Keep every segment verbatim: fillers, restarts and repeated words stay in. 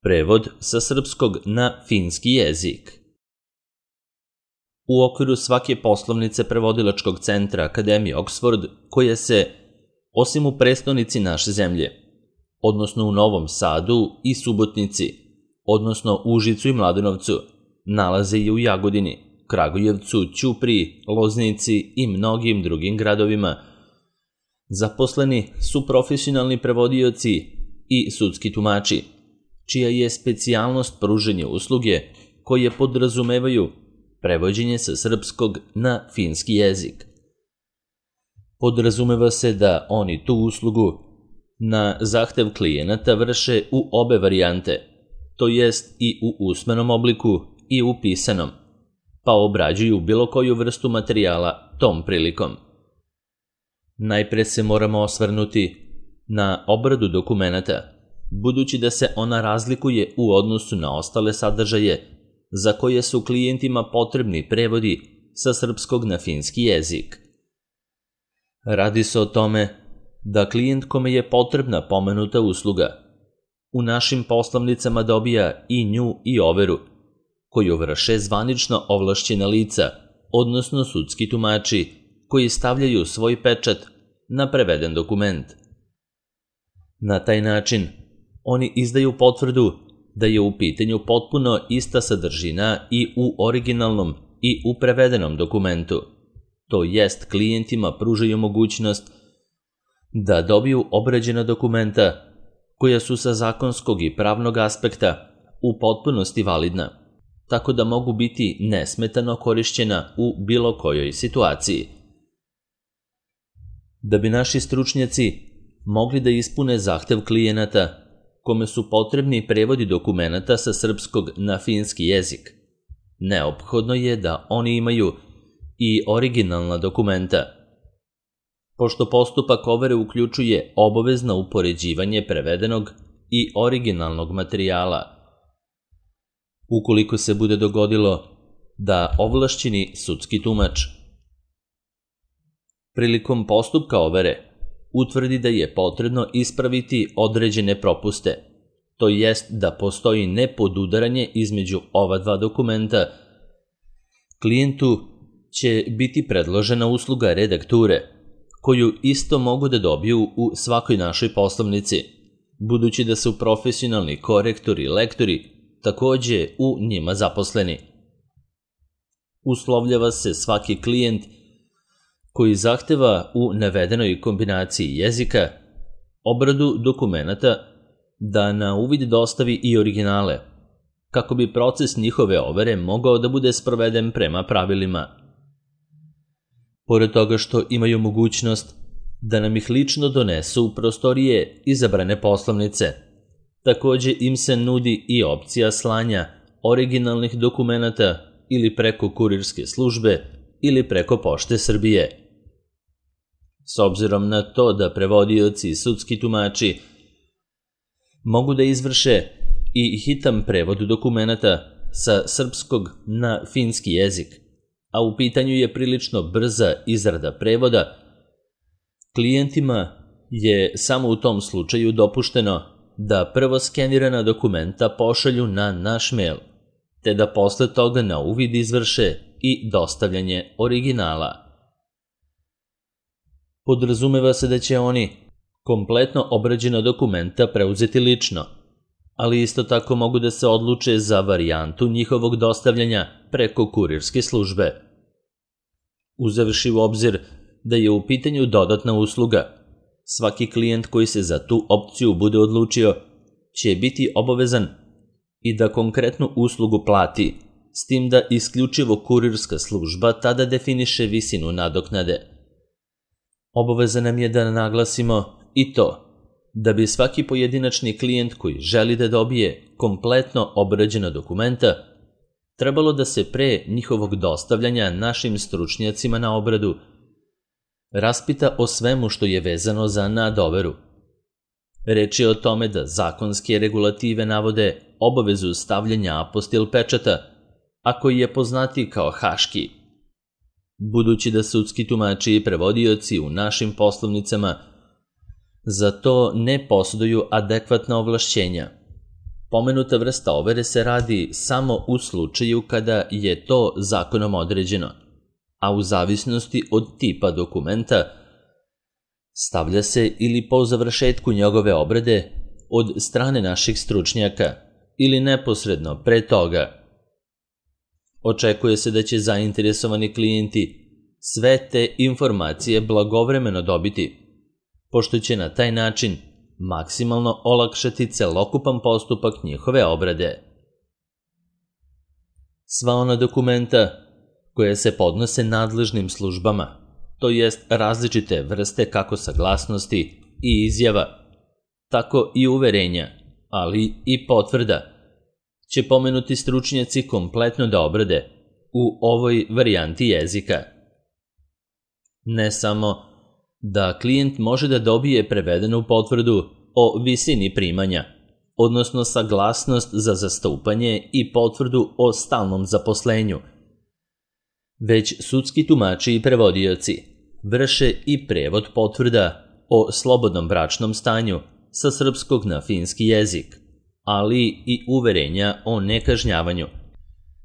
Prevod sa srpskog na finski jezik. U okviru svake poslovnice prevodilačkog centra Akademije Oxford, koja se, osim u prestonici naše zemlje, odnosno u Novom Sadu i Subotnici, odnosno Užicu i Mladenovcu, nalaze i u Jagodini, Kragujevcu, Ćupriji, Loznici i mnogim drugim gradovima. Zaposleni su profesionalni prevodioci i sudski tumači, čija je specijalnost pružanje usluge koje podrazumevaju prevođenje sa srpskog na finski jezik. Podrazumeva se da oni tu uslugu na zahtev klijenata vrše u obe varijante, to jest i u usmenom obliku i u pisanom, pa obrađuju bilo koju vrstu materijala tom prilikom. Najpre se moramo osvrnuti na obradu dokumenata, budući da se ona razlikuje u odnosu na ostale sadržaje za koje su klijentima potrebni prevodi sa srpskog na finski jezik. Radi se o tome da klijent kome je potrebna pomenuta usluga u našim poslovnicama dobija i nju i overu, koju vrše zvanično ovlašćena lica, odnosno sudski tumači, koji stavljaju svoj pečat na preveden dokument. Na taj način, oni izdaju potvrdu da je u pitanju potpuno ista sadržina i u originalnom i u prevedenom dokumentu, to jest klijentima pružaju mogućnost da dobiju obrađena dokumenta koja su sa zakonskog i pravnog aspekta u potpunosti validna, tako da mogu biti nesmetano korišćena u bilo kojoj situaciji. Da bi naši stručnjaci mogli da ispune zahtev klijenata kome su potrebni prevodi dokumenata sa srpskog na finski jezik, neophodno je da oni imaju i originalna dokumenta, pošto postupak overe uključuje obavezno upoređivanje prevedenog i originalnog materijala. Ukoliko se bude dogodilo da ovlašćeni sudski tumač prilikom postupka overe utvrdi da je potrebno ispraviti određene propuste, to jest da postoji nepodudaranje između ova dva dokumenta, klijentu će biti predložena usluga redakture, koju isto mogu da dobiju u svakoj našoj poslovnici, budući da su profesionalni korektori i lektori takođe u njima zaposleni. Uslovljava se svaki klijent koji zahteva u navedenoj kombinaciji jezika obradu dokumenata da na uvid dostavi i originale, kako bi proces njihove overe mogao da bude sproveden prema pravilima. Pored toga što imaju mogućnost da nam ih lično donesu u prostorije izabrane poslovnice, takođe im se nudi i opcija slanja originalnih dokumenata ili preko kurirske službe ili preko Pošte Srbije. S obzirom na to da prevodioci i sudski tumači mogu da izvrše i hitan prevod dokumenata sa srpskog na finski jezik, a u pitanju je prilično brza izrada prevoda, klijentima je samo u tom slučaju dopušteno da prvo skenirana dokumenta pošalju na naš mail, te da posle toga na uvid izvrše i dostavljanje originala. Podrazumeva se da će oni kompletno obrađena dokumenta preuzeti lično, ali isto tako mogu da se odluče za varijantu njihovog dostavljanja preko kurirske službe. Uzevši u obzir da je u pitanju dodatna usluga, svaki klijent koji se za tu opciju bude odlučio će biti obavezan i da konkretnu uslugu plati, s tim da isključivo kurirska služba tada definiše visinu nadoknade. Obaveza nam je da naglasimo i to da bi svaki pojedinačni klijent koji želi da dobije kompletno obrađena dokumenta trebalo da se pre njihovog dostavljanja našim stručnjacima na obradu raspita o svemu što je vezano za nadoveru. Reč je o tome da zakonske regulative navode obavezu stavljanja apostil pečata, a koji je poznati kao haški. Budući da sudski tumači i prevodioci u našim poslovnicama za to ne posjeduju adekvatna ovlašćenja, Pomenuta vrsta overe se radi samo u slučaju kada je to zakonom određeno, a u zavisnosti od tipa dokumenta stavlja se ili po završetku njegove obrade od strane naših stručnjaka ili neposredno pre toga. Očekuje se da će zainteresovani klijenti sve te informacije blagovremeno dobiti, pošto će na taj način maksimalno olakšati celokupan postupak njihove obrade. Sva ona dokumenta koje se podnose nadležnim službama, to jest različite vrste kako saglasnosti i izjava, tako i uverenja, ali i potvrda, će pomenuti stručnjaci kompletno da obrade u ovoj varijanti jezika. Ne samo da klijent može da dobije prevedenu potvrdu o visini primanja, odnosno saglasnost za zastupanje i potvrdu o stalnom zaposlenju, već sudski tumači i prevodioci vrše i prevod potvrda o slobodnom bračnom stanju sa srpskog na finski jezik, ali i uverenja o nekažnjavanju,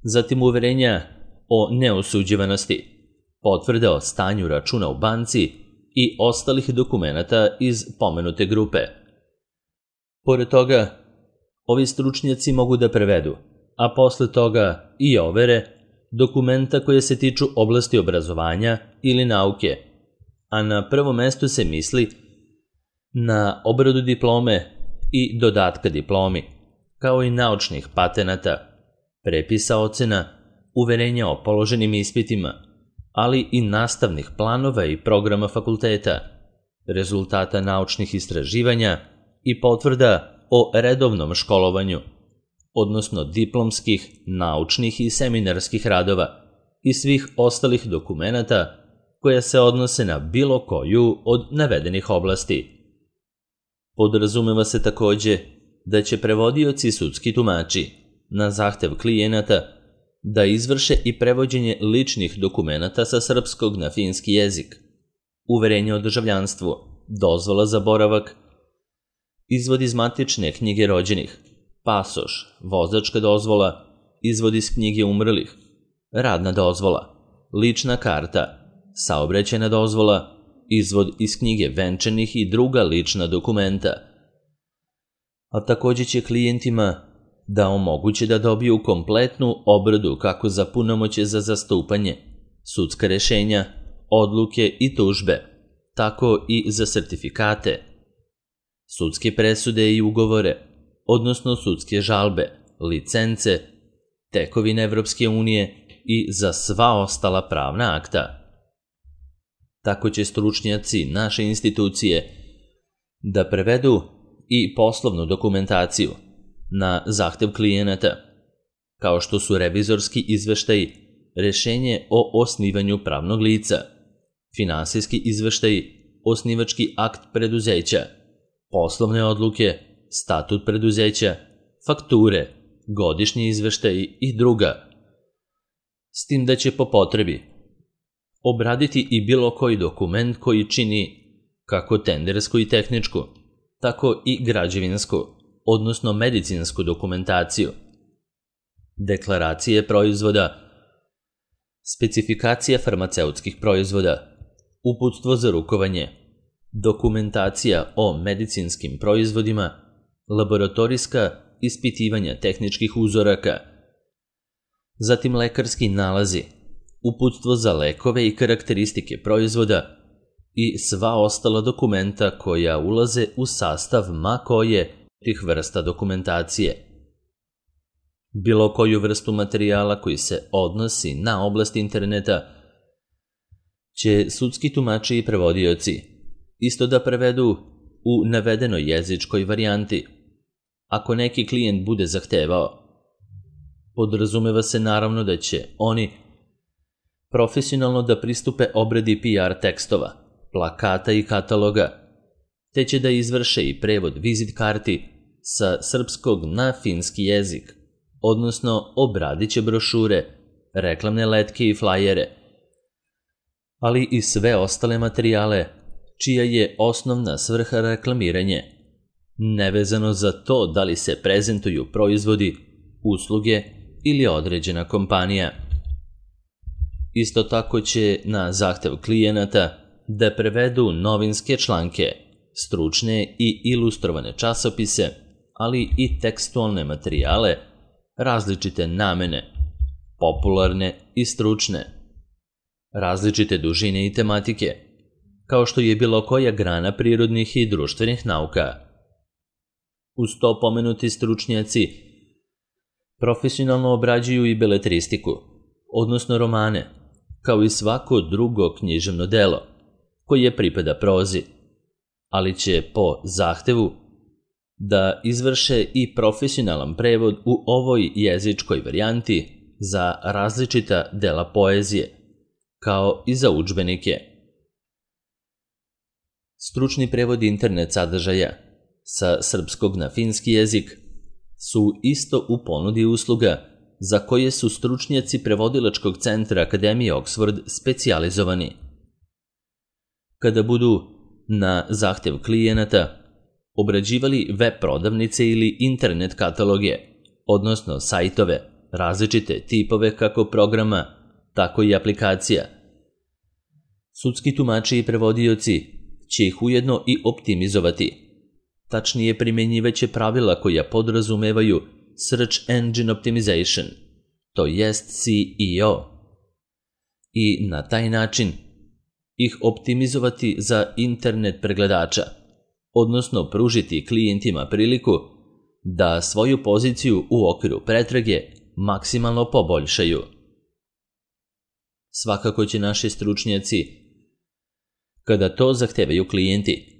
zatim uverenja o neosuđivanosti, potvrde o stanju računa u banci i ostalih dokumenata iz pomenute grupe. Pored toga, ovi stručnjaci mogu da prevedu, a posle toga i overe, dokumenta koje se tiču oblasti obrazovanja ili nauke, a na prvom mestu se misli na obradu diplome i dodatka diplomi, kao i naučnih patenata, prepisa ocena, uverenja o položenim ispitima, ali i nastavnih planova i programa fakulteta, rezultata naučnih istraživanja i potvrda o redovnom školovanju, odnosno diplomskih, naučnih i seminarskih radova i svih ostalih dokumenata koja se odnose na bilo koju od navedenih oblasti. Podrazumeva se takođe da će prevodioci sudski tumači na zahtev klijenata da izvrše i prevođenje ličnih dokumenata sa srpskog na finski jezik, uverenje o državljanstvu, dozvola za boravak, izvod iz matične knjige rođenih, pasoš, vozačka dozvola, izvod iz knjige umrlih, radna dozvola, lična karta, saobraćajna dozvola, izvod iz knjige venčanih i druga lična dokumenta. A takođe će klijentima da omoguće da dobiju kompletnu obradu kako za punomoćje za zastupanje, sudska rešenja, odluke i tužbe, tako i za sertifikate, sudske presude i ugovore, odnosno sudske žalbe, licence, tekovine Evropske unije i za sva ostala pravna akta. Tako će stručnjaci naše institucije da prevedu i poslovnu dokumentaciju na zahtev klijenata, kao što su revizorski izveštaji, rešenje o osnivanju pravnog lica, finansijski izveštaji, osnivački akt preduzeća, poslovne odluke, statut preduzeća, fakture, godišnji izveštaji i druga, s tim da će po potrebi obraditi i bilo koji dokument koji čini kako tendersku i tehničku, tako i građevinsku, odnosno medicinsku dokumentaciju, deklaracije proizvoda, specifikacija farmaceutskih proizvoda, uputstvo za rukovanje, dokumentacija o medicinskim proizvodima, laboratorijska ispitivanja tehničkih uzoraka, zatim lekarski nalazi, uputstvo za lekove i karakteristike proizvoda i sva ostala dokumenta koja ulaze u sastav ma koje tih vrsta dokumentacije. Bilo koju vrstu materijala koji se odnosi na oblast interneta će sudski tumači i prevodioci isto da prevedu u navedenoj jezičkoj varijanti, ako neki klijent bude zahtevao. Podrazumeva se naravno da će oni profesionalno da pristupe obradi P R tekstova, plakata i kataloga, te će da izvrše i prevod vizit karti sa srpskog na finski jezik, odnosno obradit će brošure, reklamne letke i flajere, ali i sve ostale materijale čija je osnovna svrha reklamiranje, nevezano za to da li se prezentuju proizvodi, usluge ili određena kompanija. Isto tako će na zahtev klijenata da prevedu novinske članke, stručne i ilustrovane časopise, ali i tekstualne materijale, različite namene, popularne i stručne, različite dužine i tematike, kao što je bilo koja grana prirodnih i društvenih nauka. Uz to pomenuti stručnjaci profesionalno obrađuju i beletristiku, odnosno romane, kao i svako drugo književno delo, koje pripada prozi, ali će po zahtevu da izvrše i profesionalan prevod u ovoj jezičkoj varijanti za različita dela poezije, kao i za udžbenike. Stručni prevod internet sadržaja sa srpskog na finski jezik su isto u ponudi usluga za koje su stručnjaci prevodilačkog centra Akademije Oxford specijalizovani. Kada budu na zahtev klijenata obrađivali web prodavnice ili internet kataloge, odnosno sajtove, različite tipove kako programa, tako i aplikacija, sudski tumači i prevodioci će ih ujedno i optimizovati. Tačnije, primjenjivaće pravila koja podrazumevaju Search Engine Optimization, to jest S E O, i na taj način ih optimizovati za internet pregledača, odnosno pružiti klijentima priliku da svoju poziciju u okviru pretrage maksimalno poboljšaju. Svakako će naši stručnjaci, kada to zahtevaju klijenti,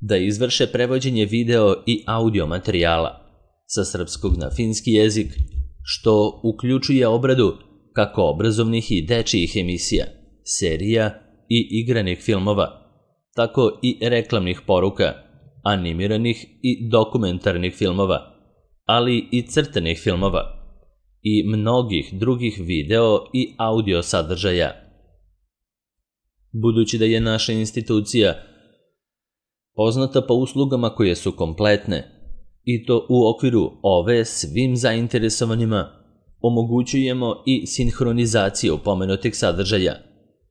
da izvrše prevođenje video i audio materijala sa srpskog na finski jezik, što uključuje obradu kako obrazovnih i dečijih emisija, serija i igranih filmova, tako i reklamnih poruka, animiranih i dokumentarnih filmova, ali i crtanih filmova i mnogih drugih video i audio sadržaja. Budući da je naša institucija poznata po uslugama koje su kompletne, i to u okviru ove svim zainteresovanima, omogućujemo i sinhronizaciju pomenutih sadržaja,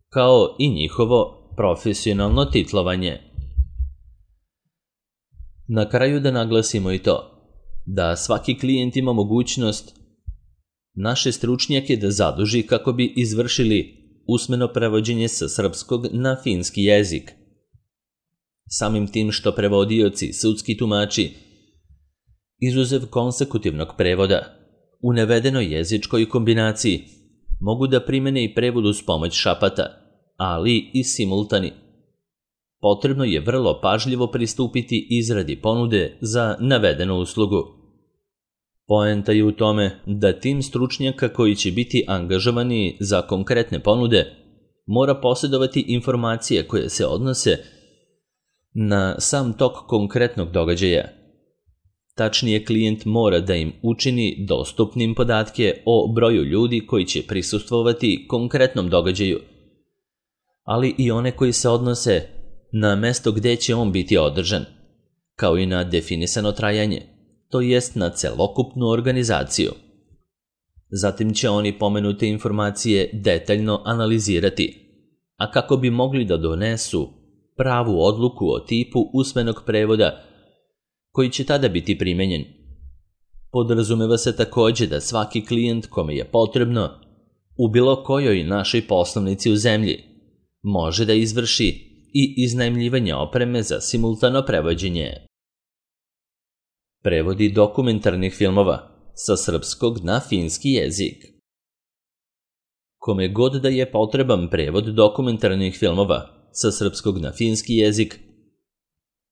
kao i njihovo profesionalno titlovanje. Na kraju da naglasimo i to, da svaki klijent ima mogućnost naše stručnjake da zaduži kako bi izvršili usmeno prevođenje sa srpskog na finski jezik. Samim tim što prevodioci, sudski tumači, izuzev konsekutivnog prevoda, u navedenoj jezičkoj kombinaciji mogu da primene i prevod uz pomoć šapata, ali i simultani. Potrebno je vrlo pažljivo pristupiti izradi ponude za navedenu uslugu. Poenta je u tome da tim stručnjaka koji će biti angažovani za konkretne ponude mora posjedovati informacije koje se odnose na sam tok konkretnog događaja. Tačnije, klijent mora da im učini dostupnim podatke o broju ljudi koji će prisustvovati konkretnom događaju, ali i one koji se odnose na mesto gde će on biti održan, kao i na definisano trajanje, to jest na celokupnu organizaciju. Zatim će oni pomenute informacije detaljno analizirati, a kako bi mogli da donesu pravu odluku o tipu usmenog prevoda koji će tada biti primenjen. Podrazumeva se takođe da svaki klijent kome je potrebno u bilo kojoj našoj poslovnici u zemlji može da izvrši i iznajmljivanje opreme za simultano prevođenje. Prevodi dokumentarnih filmova sa srpskog na finski jezik. Kome god da je potreban prevod dokumentarnih filmova sa srpskog na finski jezik,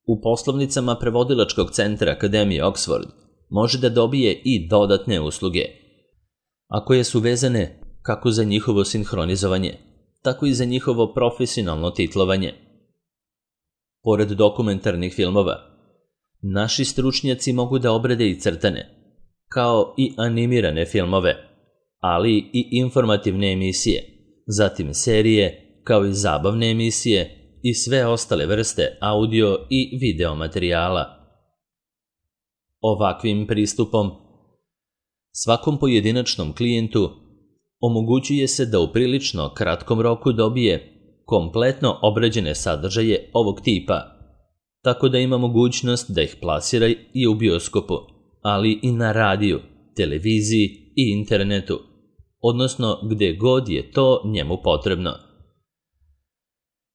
u poslovnicama prevodilačkog centra Akademije Oxford može da dobije i dodatne usluge, a koje su vezane kako za njihovo sinhronizovanje, tako i za njihovo profesionalno titlovanje. Pored dokumentarnih filmova, naši stručnjaci mogu da obrade i crtane, kao i animirane filmove, ali i informativne emisije, zatim serije, kao i zabavne emisije i sve ostale vrste audio i video materijala. Ovakvim pristupom svakom pojedinačnom klijentu omogućuje se da u prilično kratkom roku dobije kompletno obrađene sadržaje ovog tipa, tako da ima mogućnost da ih plasira i u bioskopu, ali i na radiju, televiziji i internetu, odnosno gde god je to njemu potrebno.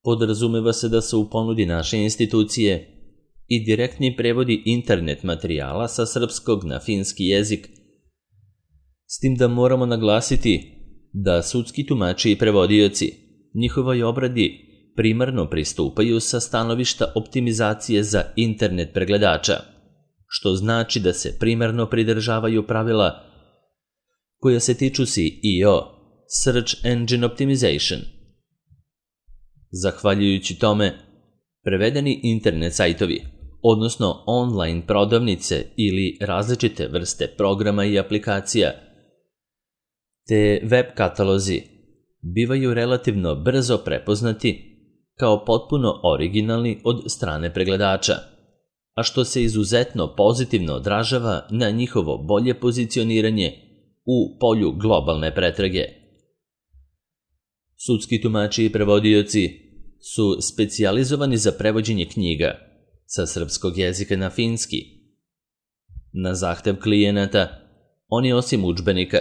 Podrazumeva se da su u ponudi naše institucije i direktni prevodi internet materijala sa srpskog na finski jezik, s tim da moramo naglasiti da sudski tumači i prevodioci njihovoj obradi primarno pristupaju sa stanovišta optimizacije za internet pregledača, što znači da se primarno pridržavaju pravila koja se tiču S E O, Search Engine Optimization. Zahvaljujući tome, prevedeni internet sajtovi, odnosno online prodavnice ili različite vrste programa i aplikacija, te web katalozi bivaju relativno brzo prepoznati kao potpuno originalni od strane pregledača, a što se izuzetno pozitivno odražava na njihovo bolje pozicioniranje u polju globalne pretrage. Sudski tumači i prevodioci su specijalizovani za prevođenje knjiga sa srpskog jezika na finski. Na zahtev klijenata, oni osim udžbenika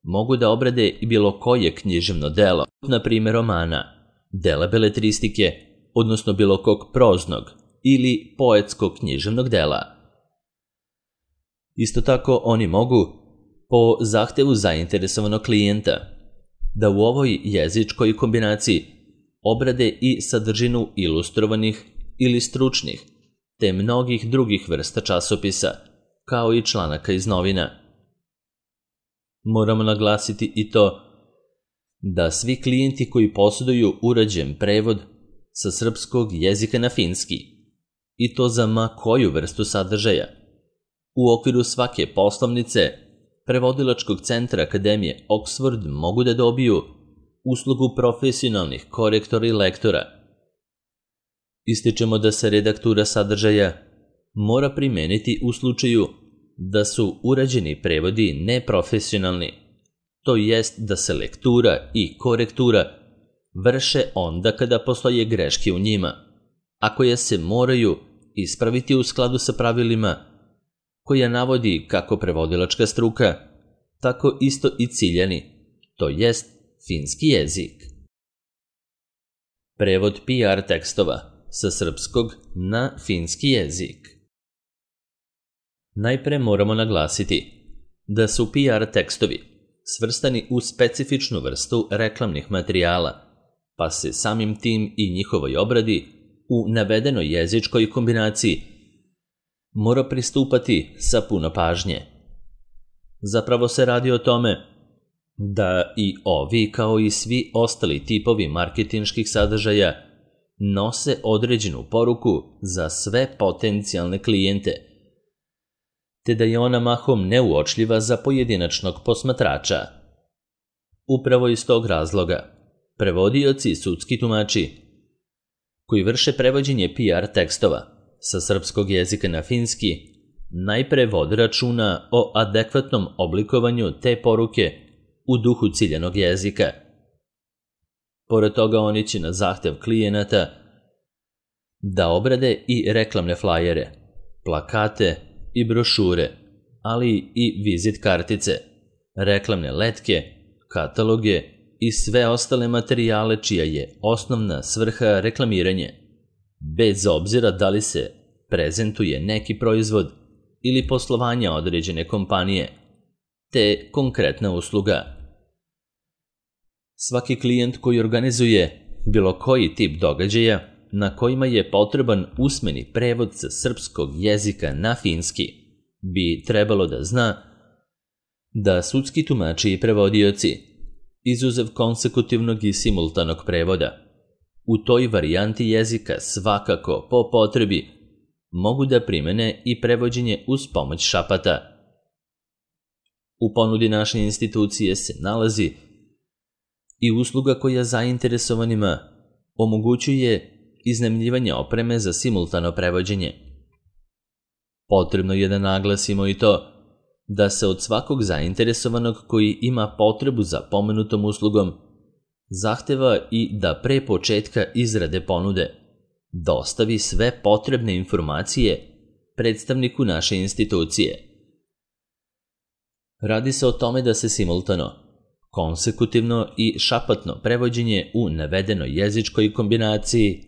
mogu da obrade i bilo koje književno delo, na primjer romana, dela beletristike, odnosno bilo kog proznog ili poetskog književnog dela. Isto tako oni mogu, po zahtevu zainteresovanog klijenta, da u ovoj jezičkoj kombinaciji obrade i sadržinu ilustrovanih ili stručnih, te mnogih drugih vrsta časopisa, kao i članaka iz novina. Moramo naglasiti i to da svi klijenti koji posjeduju urađen prevod sa srpskog jezika na finski, i to za ma koju vrstu sadržaja, u okviru svake poslovnice Prevodilačkog centra Akademije Oxford mogu da dobiju uslugu profesionalnih korektora i lektora. Ističemo da se redaktura sadržaja mora primeniti u slučaju da su urađeni prevodi neprofesionalni, to jest da se lektura i korektura vrše onda kada postoje greške u njima, a koje se moraju ispraviti u skladu sa pravilima koja navodi kako prevodilačka struka, tako isto i ciljani, to jest finski jezik. Prevod P R tekstova sa srpskog na finski jezik. Najpre moramo naglasiti da su P R tekstovi svrstani u specifičnu vrstu reklamnih materijala, pa se samim tim i njihovoj obradi u navedenoj jezičkoj kombinaciji mora pristupati sa puno pažnje. Zapravo se radi o tome da i ovi kao i svi ostali tipovi marketinških sadržaja nose određenu poruku za sve potencijalne klijente, te da je ona mahom neuočljiva za pojedinačnog posmatrača. Upravo iz tog razloga, prevodioci i sudski tumači koji vrše prevođenje P R tekstova sa srpskog jezika na finski najpre vode računa o adekvatnom oblikovanju te poruke u duhu ciljanog jezika. Pored toga oni će na zahtev klijenata da obrade i reklamne flajere, plakate i brošure, ali i vizit kartice, reklamne letke, kataloge i sve ostale materijale čija je osnovna svrha reklamiranje, bez obzira da li se prezentuje neki proizvod ili poslovanja određene kompanije, te konkretna usluga. Svaki klijent koji organizuje bilo koji tip događaja na kojima je potreban usmeni prevod sa srpskog jezika na finski bi trebalo da zna da sudski tumači i prevodioci, izuzev konsekutivnog i simultanog prevoda, u toj varijanti jezika svakako po potrebi mogu da primene i prevođenje uz pomoć šapata. U ponudi naše institucije se nalazi i usluga koja zainteresovanima omogućuje iznajmljivanje opreme za simultano prevođenje. Potrebno je da naglasimo i to da se od svakog zainteresovanog koji ima potrebu za pomenutom uslugom zahteva i da pre početka izrade ponude dostavi sve potrebne informacije predstavniku naše institucije. Radi se o tome da se simultano, konsekutivno i šapatno prevođenje u navedenoj jezičkoj kombinaciji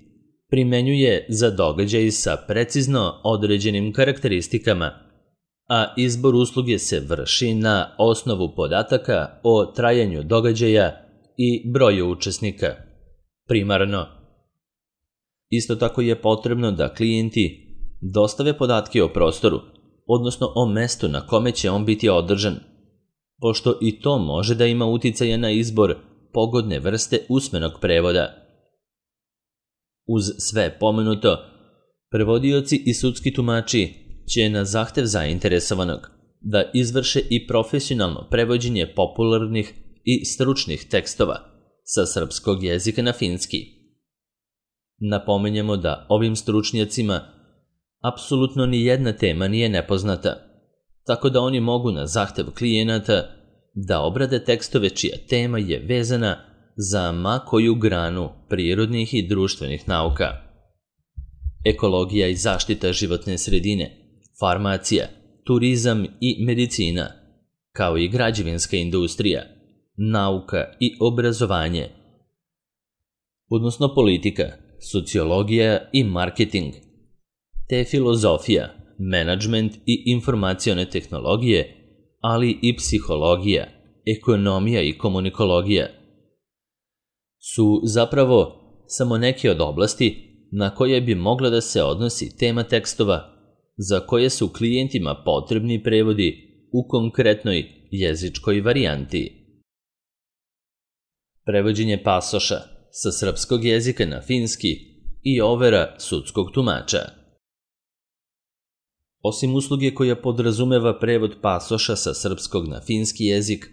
primenjuje za događaj sa precizno određenim karakteristikama, a izbor usluge se vrši na osnovu podataka o trajanju događaja i broju učesnika. Primarno. Isto tako je potrebno da klijenti dostave podatke o prostoru, odnosno o mestu na kome će on biti održan, pošto i to može da ima uticaja na izbor pogodne vrste usmenog prevoda. Uz sve pomenuto, prevodioci i sudski tumači će na zahtev zainteresovanog da izvrše i profesionalno prevođenje popularnih i stručnih tekstova sa srpskog jezika na finski. Napomenjemo da ovim stručnjacima apsolutno ni jedna tema nije nepoznata, tako da oni mogu na zahtev klijenata da obrade tekstove čija tema je vezana za ma koju granu prirodnih i društvenih nauka. Ekologija i zaštita životne sredine, farmacija, turizam i medicina, kao i građevinska industrija, nauka i obrazovanje, odnosno politika, sociologija i marketing, te filozofija, menadžment i informacione tehnologije, ali i psihologija, ekonomija i komunikologija, su zapravo samo neke od oblasti na koje bi mogla da se odnosi tema tekstova za koje su klijentima potrebni prevodi u konkretnoj jezičkoj varijanti. Prevođenje pasoša sa srpskog jezika na finski i overa sudskog tumača. Osim usluge koja podrazumeva prevod pasoša sa srpskog na finski jezik,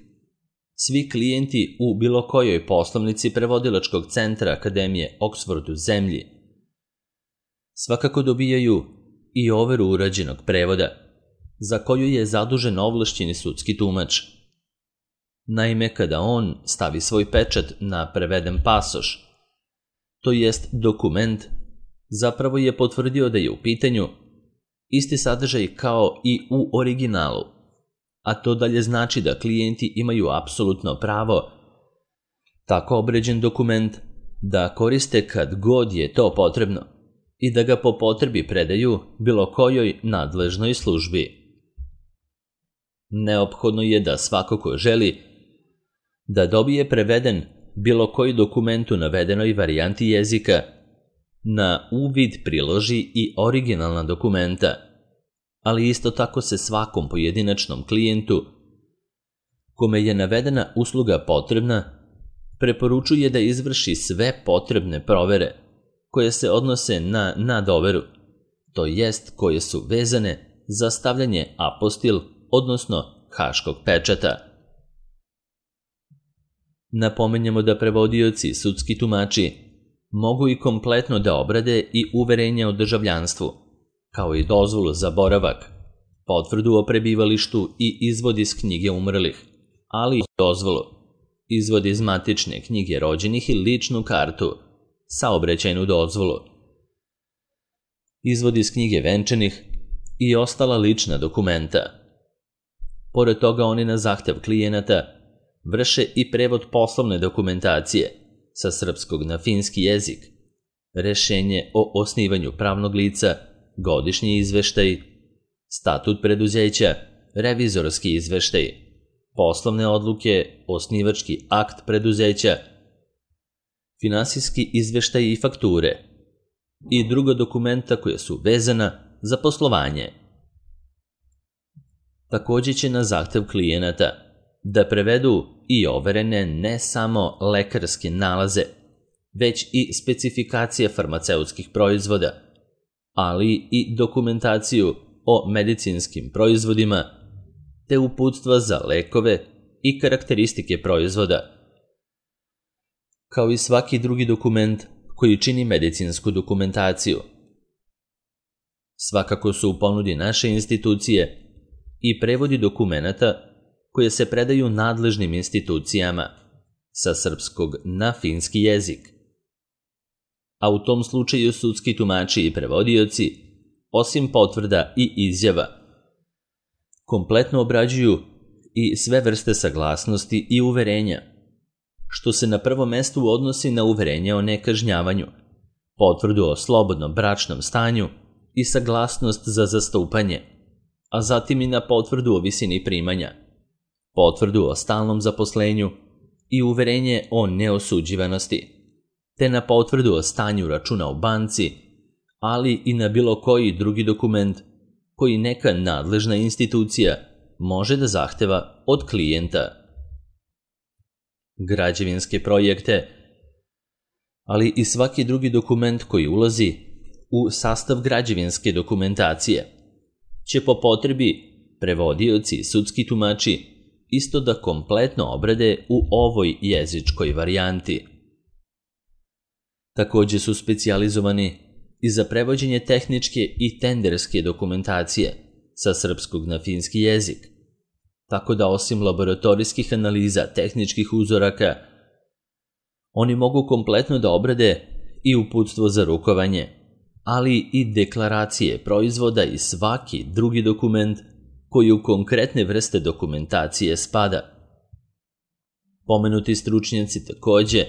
svi klijenti u bilo kojoj poslovnici prevodilačkog centra Akademije Oxford u zemlji svakako dobijaju i overu urađenog prevoda, za koju je zadužen ovlašćeni sudski tumač. Naime, kada on stavi svoj pečat na preveden pasoš, to jest dokument, zapravo je potvrdio da je u pitanju isti sadržaj kao i u originalu, a to dalje znači da klijenti imaju apsolutno pravo tako obređen dokument da koriste kad god je to potrebno i da ga po potrebi predaju bilo kojoj nadležnoj službi. Neophodno je da svako ko želi da dobije preveden bilo koji dokument u navedenoj varijanti jezika, na uvid priloži i originalna dokumenta, ali isto tako se svakom pojedinačnom klijentu kome je navedena usluga potrebna, preporučuje da izvrši sve potrebne provere koje se odnose na nadoveru, to jest koje su vezane za stavljanje apostil, odnosno haškog pečata. Napomenjamo da prevodioci i sudski tumači mogu i kompletno da obrade i uverenje o državljanstvu, kao i dozvolu za boravak, potvrdu o prebivalištu i izvod iz knjige umrlih, ali i dozvolu, izvod iz matične knjige rođenih i ličnu kartu, saobraćajnu dozvolu, izvod iz knjige venčanih i ostala lična dokumenta. Pored toga oni na zahtev klijenata vrše i prevod poslovne dokumentacije sa srpskog na finski jezik, rešenje o osnivanju pravnog lica, godišnji izveštaj, statut preduzeća, revizorski izveštaj, poslovne odluke, osnivački akt preduzeća, finansijski izveštaj i fakture i druga dokumenta koja su vezana za poslovanje. Također će na zahtev klijenata da prevedu i overene ne samo lekarske nalaze, već i specifikacije farmaceutskih proizvoda, ali i dokumentaciju o medicinskim proizvodima, te uputstva za lekove i karakteristike proizvoda, kao i svaki drugi dokument koji čini medicinsku dokumentaciju. Svakako su u ponudi naše institucije i prevodi dokumenata koje se predaju nadležnim institucijama sa srpskog na finski jezik. A u tom slučaju sudski tumači i prevodioci, osim potvrda i izjava, kompletno obrađuju i sve vrste saglasnosti i uverenja, što se na prvo mesto odnosi na uverenje o nekažnjavanju, potvrdu o slobodnom bračnom stanju i saglasnost za zastupanje, a zatim i na potvrdu o visini primanja, potvrdu o stalnom zaposlenju i uverenje o neosuđivanosti, te na potvrdu o stanju računa u banci, ali i na bilo koji drugi dokument koji neka nadležna institucija može da zahteva od klijenta. Građevinske projekte, ali i svaki drugi dokument koji ulazi u sastav građevinske dokumentacije, će po potrebi prevodioci i sudski tumači isto da kompletno obrade u ovoj jezičkoj varijanti. Takođe su specijalizovani i za prevođenje tehničke i tenderske dokumentacije sa srpskog na finski jezik, tako da osim laboratorijskih analiza tehničkih uzoraka, oni mogu kompletno da obrade i uputstvo za rukovanje, ali i deklaracije proizvoda i svaki drugi dokument koji u konkretne vrste dokumentacije spada. Pomenuti stručnjaci takođe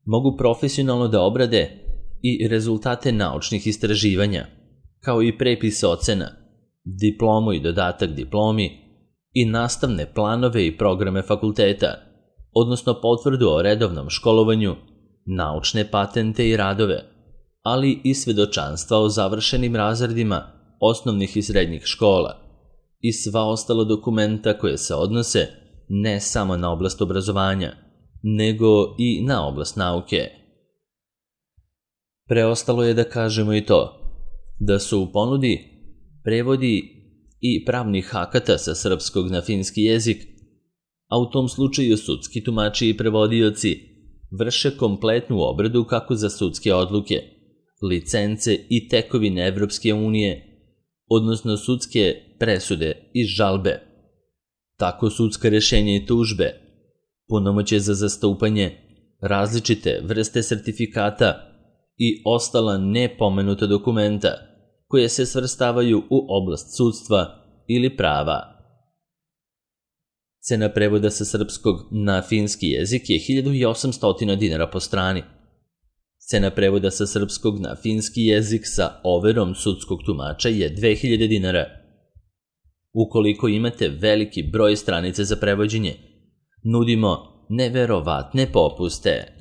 mogu profesionalno da obrade i rezultate naučnih istraživanja, kao i prepis ocena, diplomu i dodatak diplomi i nastavne planove i programe fakulteta, odnosno potvrdu o redovnom školovanju, naučne patente i radove, ali i svedočanstva o završenim razredima osnovnih i srednjih škola i sva ostala dokumenta koje se odnose ne samo na oblast obrazovanja, nego i na oblast nauke. Preostalo je da kažemo i to, da su u ponudi prevodi i pravnih akata sa srpskog na finski jezik, a u tom slučaju sudski tumači i prevodioci vrše kompletnu obradu kako za sudske odluke, licence i tekovine Evropske unije, odnosno sudske presude i žalbe, tako sudska rešenja i tužbe, punomoćje za zastupanje, različite vrste sertifikata i ostala nepomenuta dokumenta koje se svrstavaju u oblast sudstva ili prava. Cena prevoda sa srpskog na finski jezik je hiljadu osamsto dinara po strani. Cena prevoda sa srpskog na finski jezik sa overom sudskog tumača je dve hiljade dinara. Ukoliko imate veliki broj stranice za prevođenje, nudimo neverovatne popuste.